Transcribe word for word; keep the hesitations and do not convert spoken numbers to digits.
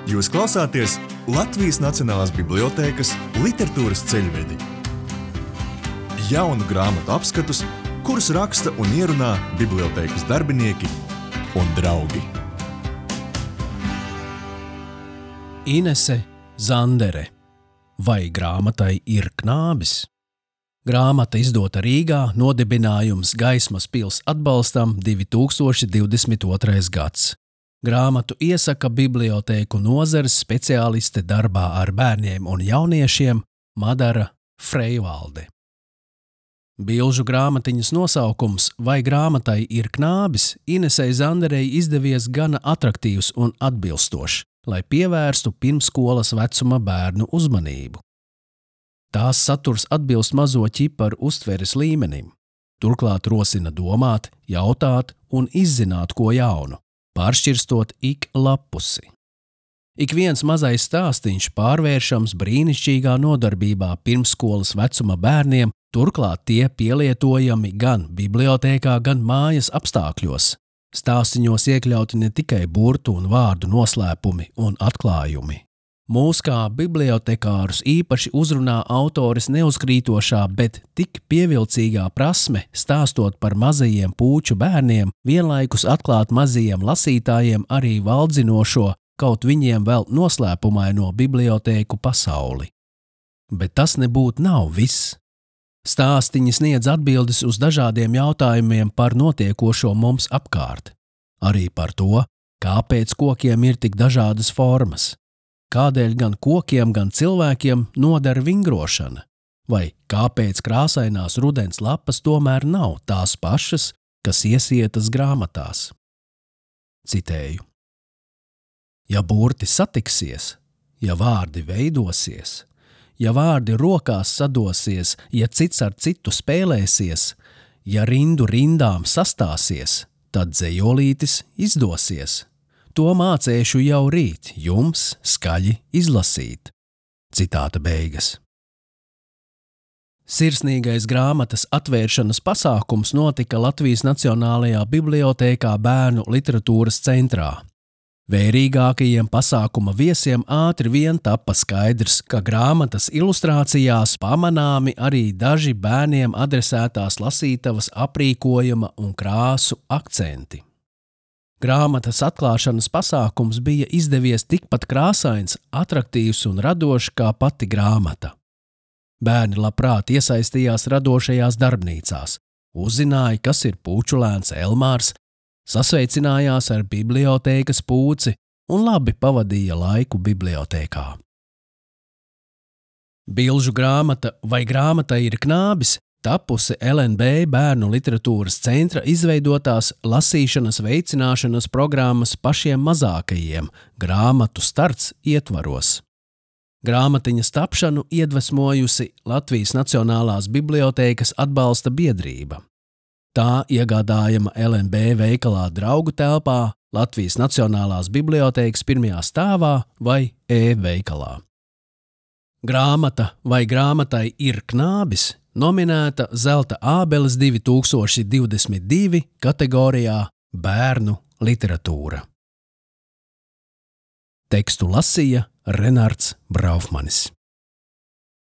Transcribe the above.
Jūs klausāties Latvijas Nacionālās bibliotēkas literatūras ceļvedi. Jaunu grāmatu apskatus, kurus raksta un ierunā bibliotēkas darbinieki un draugi. Inese Zandere. Vai grāmatai ir knābis? Grāmata izdota Rīgā, nodibinājums Gaismas pils atbalstam divi tūkstoši divdesmit otrais gads. Grāmatu iesaka bibliotēku nozares speciāliste darbā ar bērniem un jauniešiem Madara Freivalde. Bilžu grāmatiņas nosaukums Vai grāmatai ir knābis Inesei Zanderei izdevies gana atraktīvs un atbilstošs, lai pievērstu pirmsskolas vecuma bērnu uzmanību. Tās saturs atbilst mazo ķiparu uztveres līmenim, turklāt rosina domāt, jautāt un izzināt ko jaunu, pāršķirstot ik lapusi. Ik viens mazais stāstiņš pārvēršams brīnišķīgā nodarbībā pirmsskolas vecuma bērniem, turklāt tie pielietojami gan bibliotēkā, gan mājas apstākļos. Stāstiņos iekļauti ne tikai burtu un vārdu noslēpumi un atklājumi. Mūs kā bibliotekārus īpaši uzrunā autores neuzkrītošā, bet tik pievilcīgā prasme stāstot par mazajiem pūču bērniem, vienlaikus atklāt mazajiem lasītājiem arī valdzinošo, kaut viņiem vēl noslēpumaino bibliotēku pasauli. Bet tas nebūtu nav viss. Stāstiņi sniedz atbildes uz dažādiem jautājumiem par notiekošo mums apkārt. Arī par to, kāpēc kokiem ir tik dažādas formas. Kādēļ gan kokiem, gan cilvēkiem nodara vingrošana, vai kāpēc krāsainās rudens lapas tomēr nav tās pašas, kas iesietas grāmatās. Citēju. Ja burti satiksies, ja vārdi veidosies, ja vārdi rokās sadosies, ja cits ar citu spēlēsies, ja rindu rindām sastāsies, tad dzejolītis izdosies. To mācēšu jau rīt, jums skaļi izlasīt. Citāta beigas. Sirsnīgais grāmatas atvēršanas pasākums notika Latvijas Nacionālajā bibliotēkā Bērnu literatūras centrā. Vērīgākajiem pasākuma viesiem ātri vien tapa skaidrs, ka grāmatas ilustrācijās pamanāmi arī daži bērniem adresētās lasītavas aprīkojuma un krāsu akcenti. Grāmatas atklāšanas pasākums bija izdevies tikpat krāsains, atraktīvs un radošs kā pati grāmata. Bērni labprāt iesaistījās radošajās darbnīcās, uzzināja, kas ir pūčulēns Elmārs, sasveicinājās ar bibliotēkas pūci un labi pavadīja laiku bibliotēkā. Bilžu grāmata Vai grāmatai ir knābis tapusi L N B Bērnu literatūras centra izveidotās lasīšanas veicināšanas programmas pašiem mazākajiem grāmatu starts ietvaros. Grāmatiņas tapšanu iedvesmojusi Latvijas Nacionālās bibliotēkas atbalsta biedrība. Tā iegādājama L N B veikalā Draugu telpā, Latvijas Nacionālās bibliotēkas pirmajā stāvā vai e-veikalā. Grāmata Vai grāmatai ir knābis nominēta Zelta ābeles divi tūkstoši divdesmit divi kategorijā Bērnu literatūra. Tekstu lasīja Renards Braufmanis.